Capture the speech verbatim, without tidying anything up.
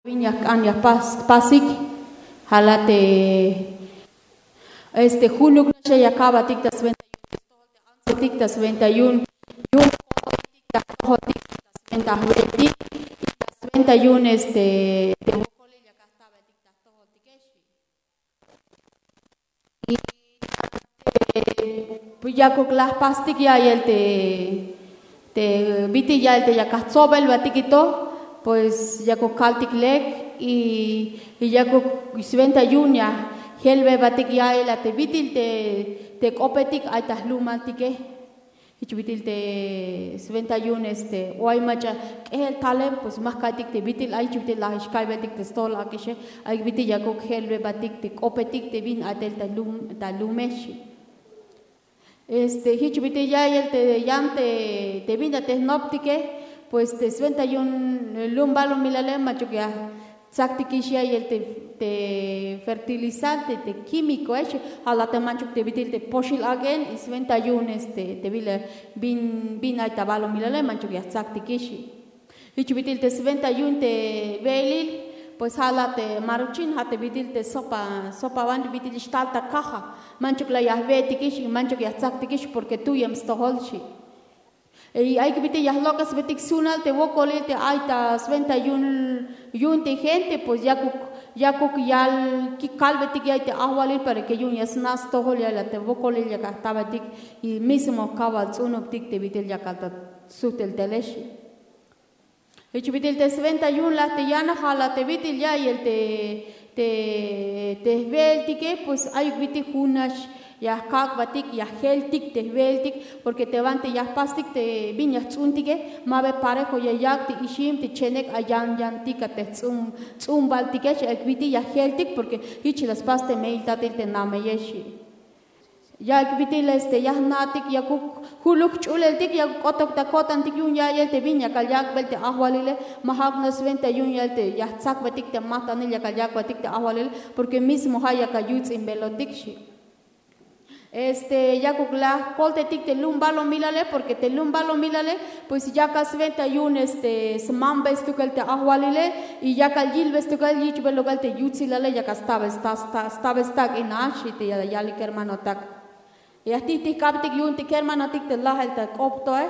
bin ya jk'an ya jpas jpasik. Ja' la te este junuk nax ya ya kabatik ta swenta yu'un te stojol te antsotik ta swenta yu'un yu'un jko'tik ta jtojoltik ta swenta jwe'tik y ta swenta yu'un este te wokolil ya kajtabatik ta jtojoltikex. Y te pues yakuk la jpastik ya'iyel te te bit'il ya'iyel te ya kajtsobelbatik to pues yakuk kaltik lek y yakuk swenta yu'un ya jelbebatik ya'iyel a te bit'il te k'opetik ay ta jlumaltike. Jich bit'il te swenta yu'un este o ay mach'a k'ejel talem pues ma jka'ytik te bit'il ay jich bit'il la jix kaybeltik te stojol ak'ixe. Ay bit'il yakuk jelbebatik te k'opetik te bin ay tel ta lum ta lumex. Este jich bit'il ya'iyel te yan te te bin a te jnoptike pues te swenta yu'un lum balumilale manchuk ya jtsaktikix ya'iyel te te fertilizante te kimikoex. Ja' la te manchuk te bit'il te poxil ak'en y swenta yu'un este te bila bin bin ay ta balumilale manchuk ya jtsaktikix. Jich bit'il te swenta yu'un te we'elil pues ja' la te maruchin ja' te bit'il te sopa sopa banti bit'il xtal ta kaja. Manchuk la ya jwe'tikix y manchuk ya jtsaktikix porke tuyem stojol xi'. Y ay bit'il ya jlok'esbetik sunal te wokolil te ay ta swenta yu'un yu'un te gente pues yakuk yakuk yal kalbetik ya'iyel te ajwalil para ke yu'un ya sna' stojol ya'iyel a te wokolil ya kajtabetik y mismo kawal ts'unubtik te bit'il ya kal ta sujtel tele xi'. Jich bit'il te swenta yu'un la te yana ja' la te bit'il ya'iyel te te te jwe'eltike pues ayuk bit'il jun nax ya jkak'batik ya jeltik te jwe'eltik porke te banti ya jpastik te bin ya jts'untike ma ba parejo ya yak' te ixim te chenek ay yan yantik a te jts'umbaltike xi' ayuk bit'il ya jeltik porke jich la spas te me'il tatil te nameyex xi'. Ya bit'il este ya jna'tik yakuk juluk jch'uleltik yakuk k'otok ta ko'tantik yu'un ya'iyel te bin yakal yak'bel te ajwalile. Ma ja'uk nax swenta yu'un ya'iyel te ya jtsakbetik te majt'anil yakal yak'betik te ajwalile porke mismo ja' yakal yuts'inbelotik xi'. Este yakuk la jkoltetik te lum balumilale porke te lum balumilale pues yakal swenta yu'un este smambel stukel te ajwalile y yakal yilbel stukel yich'bel lok'el te yutsilale yakal stabel stak'in a xi' te ya yalik kermanotak. Ya jtijtij k'abtik yu'un te kermanotik te lajel ta k'op toe.